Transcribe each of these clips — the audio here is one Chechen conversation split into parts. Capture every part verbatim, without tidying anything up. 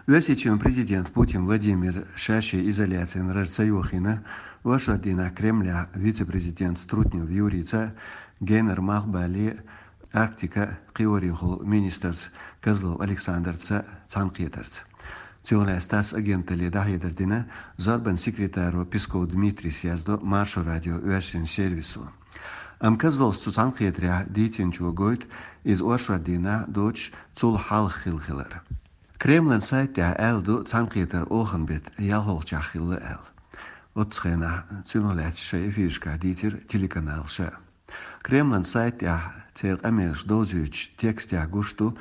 Оьрсийчоьнан президента Путин Владимира ша-шен изоляцин рожа ца йохийна оршот дийнахь Кремлехь вице-президентаца Трутнев Юрийца, генара малхбале а, Арктикин а кхиорехула министрца Козлов Александрца цхьаьнакхетарца. Цунах лаьцна ТАСС агенталле дӀахьедар дина зорбанан секретаро Песков Дмитрийс, яздо Маршо радион оьрсийн сервисо. Амма Козловс цу цхьаьнакхетарехь дийцинчо гойту иза оршот дийнахь доцуш цул хьалха хилла хилар. Кремлан сайта тӀехь аьлла ду цхьаьнакхетар оханан беттан ялхолгӀачохь хилла аьлла. Оццу хенахь цунах лаьцна шайн эфирашкахь дийцира телеканалаша. Кремлан сайта тӀехь церан къамелаш довзуьйтучу текстехь гуш ду,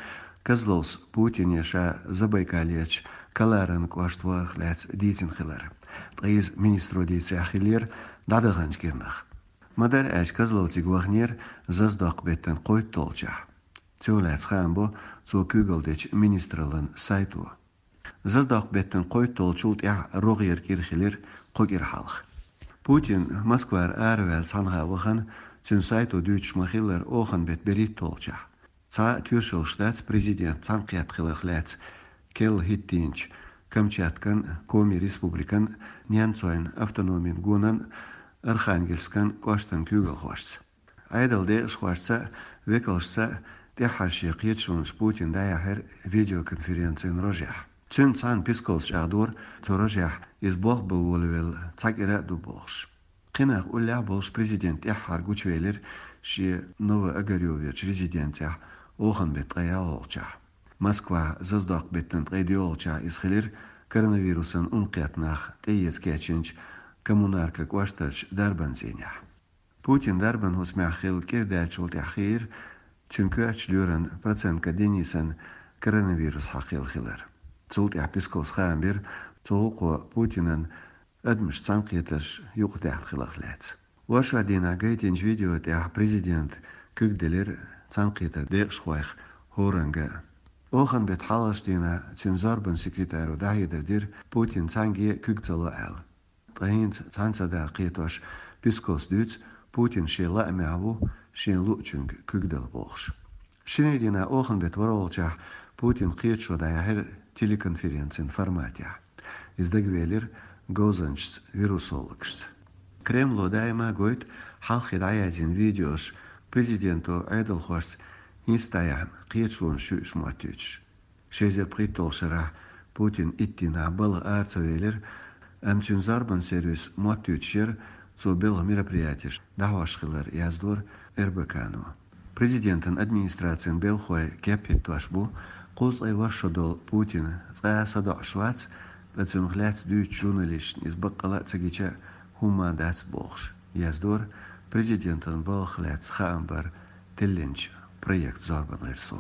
Козловс Путине ша Забайкальерчу Каларан кӀошта варах лаьцна дийцина хилар. Ткъа иза министро дийцарехь хиллера дӀадаханчу кӀирнах. Ма-дарра аьлча, Козлов цига ваханера зазадоккху беттан кхойтталгӀачохь. Цунах лаьцна хаам бо цо куьйгалла дечу министраллин сайто. Зазадоккху беттан кхойтталгӀачул тӀаьхьа рогӀера кӀира хилира кхо кӀира хьалха. Путин Москвара араваьлла цхьанхьа вахана, цуьнан сайто дуьйцуш ма-хиллара, оханан беттан берхӀитталгӀачохь. Цхьа а тоьшаллаш дац президент цхьаьнакхетта хиларх лаьцна керла хӀиттийначу Камчаткан, Коми республикан, Ненцойн автономин гонан, Архангельскан кӀоштан куьйгалхошца. Ӏедалан декъашхошца а, векалшца а тӀаьххьара шен кхеташонаш Путина дӀаяьхьира видеоконференцин рожехь. Цуьнца цхьаьна Песковс чӀагӀдора, цу рожехь иза болх бан волавелла цхьа кӀира а ду бохуш. Кхин нах уллехь а болуш президент тӀаьххьара гучувелира шен Ново-Огарёверчу резиденцехь оханан беттан ткъе ялхолгӀачохь. Москвахь зазадоккху беттан ткъе доьалгӀачохь иза хилира коронавирусан ун кхетта нах тӀеэца кечйинчу Коммунарка кӀоштарчу дарбан цӀийнехь. Путинан дарбан хӀусамехь хилла кӀира даьллачул тӀаьхьа хиира цуьнан коьртачу лоьран Проценко Денисан коронавирус хьакхаелла хилар. Цул тӀаьхьа Песковс хаам бира цу гӀуллакхо Путинан адамашца цхьаьнакхетарш юкъадаьхна хиларх лаьцна. Оршот дийнахь гайтинчу видео тӀехь президента куьг делира цхьаьнакхетаран декъашхойх хӀоранга а. Оханан беттан хьалхарчу дийнахь цуьнан зорбанан секретаро дӀахьедар дира, Путина цхьаьнгге а куьг ца ло аьлла. Ткъа хӀинца цхьаьна ца дара кхетош, Песковс дуьйцу, Путин шен лаамехь ву шена луучуьнга куьг дала бохуш. Шинарин дийнахь оханан беттан ворхӀалгӀачохь Путина кхеташо дӀаяьхьира телеконференцин форматехь. Иза дагавелира говзанчашца, вирусологашца. Кремло даима а гойту хьалххе дӀаяздина видеош президенто Ӏедалхошца хӀинца дӀаяьхьна кхеташонаш ю уьш моттуьйтуш. Ши эзар пхийтталгӀачу шарахь Путин итт дийнахь балха ара ца велира, амма цуьнан зорбанан сервисо моттуьйтуш яра цо белхан мероприятеш дӀахьош хилар, яздора РБК-но. Президентан администрацин белхахой кеп хӀиттош бу, кхузткъе ворхӀ шо долу Путин цкъа а садоӀуш вац, ткъа цунах лаьцна дуьйцучу журналисташна иза баккъалла а ца гича хӀумма а дац бохуш, яздора президентан балхах лаьцна хаам бар теллинчу «Проект» зорбанан гӀирсо.